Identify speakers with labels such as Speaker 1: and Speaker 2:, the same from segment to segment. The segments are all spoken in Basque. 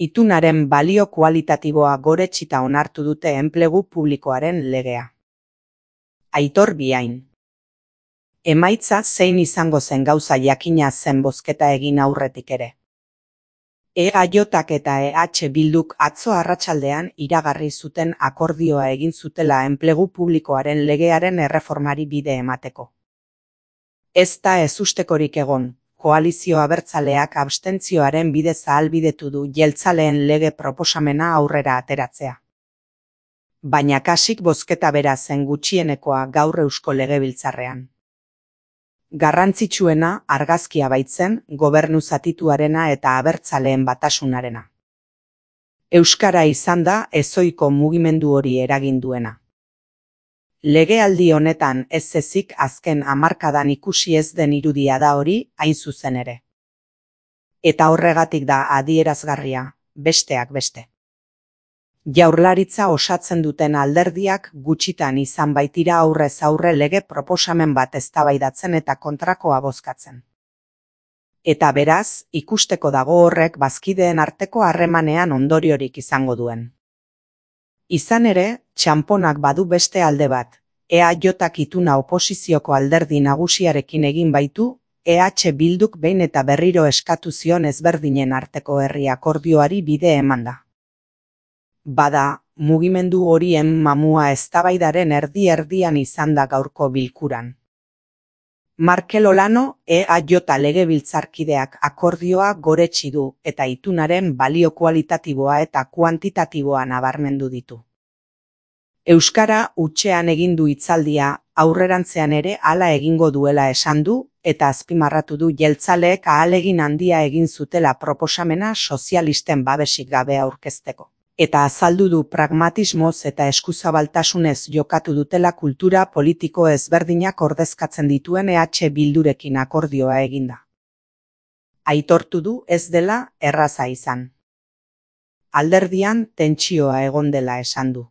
Speaker 1: Itunaren balio kualitatiboa goretsita onartu dute enplegu publikoaren legea. Aitor Biain. Emaitza zein izango zen gauza jakina zen bozketa egin aurretik ere. EAJak eta EH Bilduk atzo arratsaldean iragarri zuten akordioa egin zutela enplegu publikoaren legearen erreformari bide emateko. Ez da ezustekorik egon, koalizio abertzaleak abstentzioaren bidez ahalbidetu du jeltzaleen lege proposamena aurrera ateratzea. Baina kasik bozketa bera zen gutxienekoa gaur Eusko Legebiltzarrean. Garrantzitsuena argazkia baitzen gobernu zatituarena eta abertzaleen batasunarena. Euskara izan da ezohiko mugimendu hori eragin duena. Legealdi honetan ez ezik azken hamarkadan ikusi ez den irudia da hori hain zuzen ere. Eta horregatik da adierazgarria, besteak beste. Jaurlaritza osatzen duten alderdiak gutxitan izan baitira aurrez aurre lege proposamen bat eztabaidatzen eta kontrakoa bozkatzen. Eta beraz, ikusteko dago horrek bazkideen arteko harremanean ondoriorik izango duen. Izan ere, txanponak badu beste alde bat, EAJak ituna oposizioko alderdi nagusiarekin egin baitu, EH Bilduk behin eta berriro eskatu zion ezberdinen arteko herri akordioari bide emanda. Bada, mugimendu horien mamua eztabaidaren erdi-erdian izan da gaurko bilkuran. Markel Olano, EAJ legebiltzarkideak akordioa goretsi du eta itunaren balio kualitatiboa eta kuantitatiboa nabarmendu ditu. Euskara hutsean egin du hitzaldia, aurrerantzean ere hala egingo duela esan du eta azpimarratu du jeltzaleek ahalegin handia egin zutela proposamena sozialisten babesik gabe aurkezteko. Eta azaldu du pragmatismoz eta eskuzabaltasunez jokatu dutela kultura politiko ezberdinak ordezkatzen dituen EH Bildurekin akordioa eginda. Aitortu du ez dela erraza izan. Alderdian tentsioa egon dela esan du.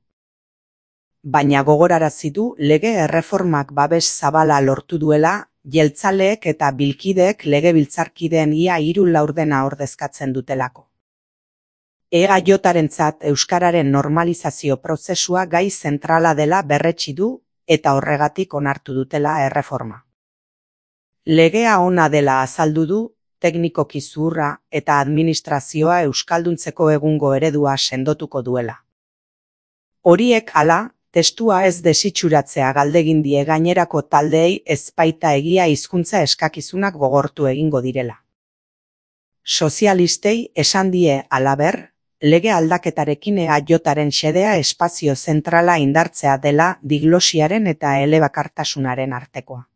Speaker 1: Baina gogorarazi du lege erreformak babes zabala lortu duela, jeltzaleek eta bilkideek legebiltzarkideen ia 3/4 ordezkatzen dutelako. EAJarentzat euskararen normalizazio prozesua gai zentrala dela berretsi du eta horregatik onartu dutela erreforma. Legea ona dela azaldu du, teknikoki zuhurra eta administrazioa euskalduntzeko egungo eredua sendotuko duela. Horiek hala, testua ez desitxuratzea galdegin die gainerako taldeei ezpaita egia hizkuntza eskakizunak gogortu egingo direla. Sozialistei esan die halaber, lege aldaketarekin EAJaren xedea espazio zentrala indartzea dela diglosiaren eta elebakartasunaren artekoa.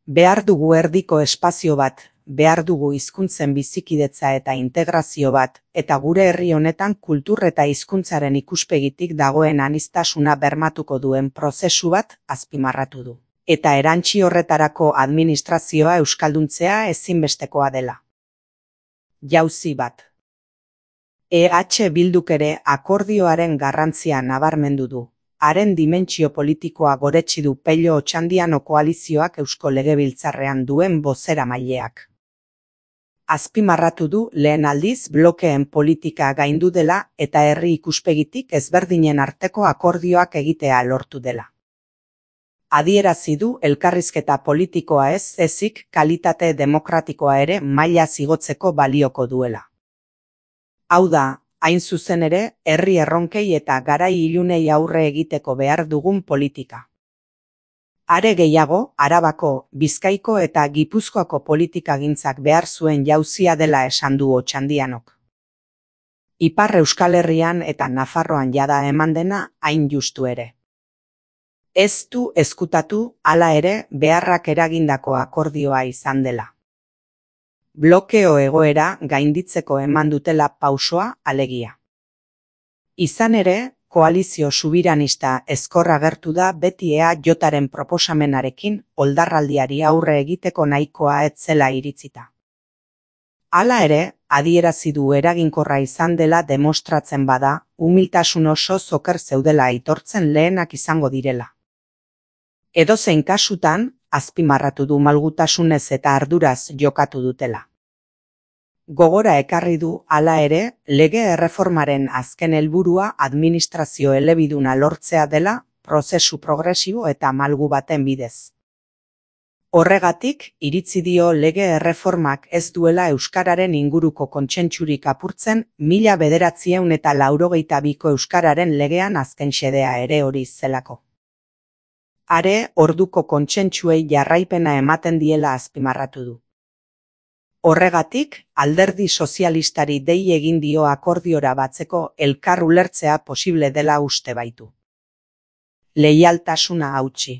Speaker 1: Behar dugu erdiko espazio bat, behar dugu hizkuntzen bizikidetza eta integrazio bat, eta gure herri honetan kultur eta hizkuntzaren ikuspegitik dagoen aniztasuna bermatuko duen prozesu bat azpimarratu du. Eta erantsi horretarako administrazioa euskalduntzea ezinbestekoa dela. Jauzi bat. EH Bilduk ere akordioaren garrantzia nabarmendu du. Haren dimentsio politikoa goretsi du Pello Otxandiano koalizioak Eusko Legebiltzarrean duen bozeramaileak. Azpimarratu du lehen aldiz blokeen politika gaindu dela eta herri ikuspegitik ezberdinen arteko akordioak egitea lortu dela. Adierazi du elkarrizketa politikoa ez ezik kalitate demokratikoa ere maila igotzeko balioko duela. Hau da, hain zuzen ere, herri erronkei eta garai ilunei aurre egiteko behar dugun politika. Are gehiago, Arabako, Bizkaiko eta Gipuzkoako politikagintzak behar zuen jauzia dela esan du Otxandianok. Ipar Euskal Herrian eta Nafarroan jada eman dena hain justu ere. Ez du ezkutatu, hala ere, beharrak eragindako akordioa izan dela. Blokeo egoera gainditzeko eman dutela pausoa alegia. Izan ere, koalizio subiranista ezkor agertu da beti EAJaren proposamenarekin oldarraldiari aurre egiteko nahikoa ez zela iritzita. Hala ere, adierazi du eraginkorra izan dela demostratzen bada, umiltasun oso oker zeudela aitortzen lehenak izango direla. Edozein kasutan, azpimarratu du malgutasunez eta arduraz jokatu dutela. Gogora ekarri du, hala ere, lege erreformaren azken helburua administrazio elebiduna lortzea dela, prozesu progresibo eta malgu baten bidez. Horregatik, iritzi dio lege erreformak ez duela euskararen inguruko kontsentsurik apurtzen 1982ko euskararen legean azken xedea ere hori zelako. Are, orduko kontsentsuei jarraipena ematen diela azpimarratu du. Horregatik, alderdi sozialistari dei egin dio akordiora batzeko elkar ulertzea posible dela uste baitu. Leialtasuna hautsi.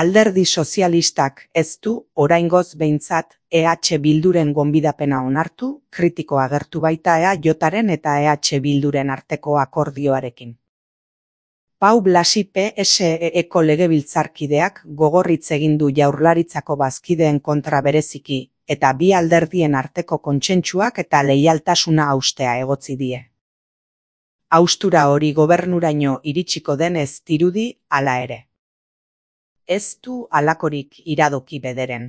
Speaker 1: Alderdi sozialistak ez du, oraingoz behintzat, EH Bilduren gonbidapena onartu, kritiko agertu baita EAJaren eta EH Bilduren arteko akordioarekin. Pau Blasi PSE-eko legebiltzarkideak gogorritz egin du Jaurlaritzako bazkideen kontra bereziki, eta bi alderdien arteko kontsentsuak eta leialtasuna haustea egotzi die. Haustura hori gobernuraino iritsiko denez dirudi, hala ere. Ez du halakorik iradoki bederen.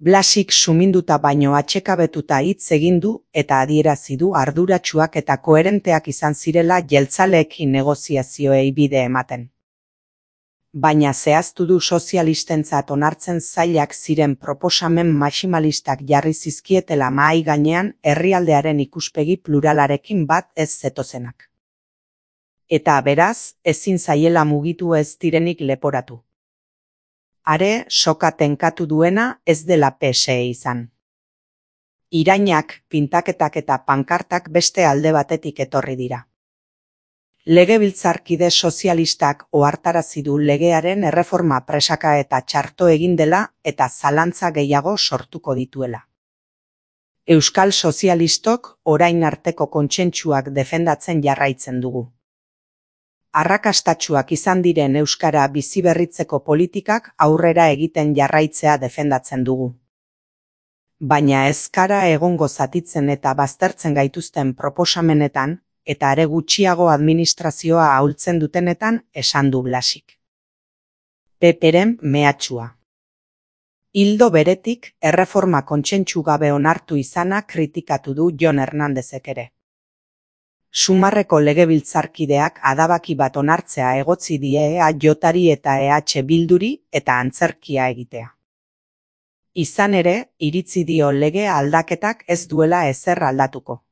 Speaker 1: Blasik suminduta baino atsekabetuta hitz egin du eta adierazi du arduratsuak eta koherenteak izan zirela jeltzaleekin negoziazioei bide ematen. Baina zehaztu du sozialistentzat onartzen zailak ziren proposamen maximalistak jarri zizkietela mahai gainean herrialdearen ikuspegi pluralarekin bat ez zetozenak. Eta beraz, ezin zaiela mugitu ez direnik leporatu. Are, soka tenkatu duena ez dela PSE izan. Irainak, pintaketak eta pankartak beste alde batetik etorri dira. Legebiltzarkide sozialistak ohartarazi du legearen erreforma presaka eta txarto egin dela eta zalantza gehiago sortuko dituela. Euskal sozialistok orain arteko kontsentsuak defendatzen jarraitzen dugu. Arrakastatsuak izan diren euskara biziberritzeko politikak aurrera egiten jarraitzea defendatzen dugu. Baina ez gara egongo zatitzen eta baztertzen gaituzten proposamenetan, eta are gutxiago administrazioa ahultzen dutenetan esan du Blasik. Peperen mehatxua. Ildo beretik, erreforma kontsentsu gabe onartu izana kritikatu du Jon Hernandezek ere. Sumarreko legebiltzarkideak adabaki bat onartzea egotzi die EAJari eta EH Bilduri eta antzerkia egitea. Izan ere, iritzi dio lege aldaketak ez duela ezer aldatuko.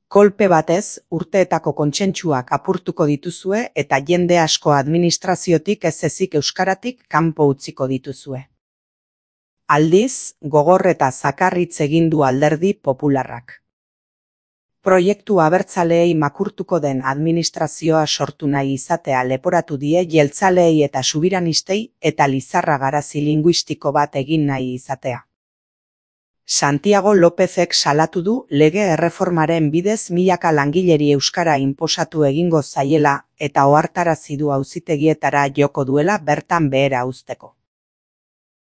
Speaker 1: Kolpe batez, urteetako kontsentsuak apurtuko dituzue eta jende asko administraziotik ez ezik euskaratik kanpo utziko dituzue. Aldiz, gogor eta zakarritz egin du alderdi popularrak. Proiektu abertzaleei makurtuko den administrazioa sortu nahi izatea leporatu die jeltzaleei eta subiranistei eta lizarra garazi linguistiko bat egin nahi izatea. Santiago Lópezek salatu du lege erreformaren bidez milaka langileri euskara inposatu egingo zaiela eta ohartarazi du auzitegietara joko duela bertan behera uzteko.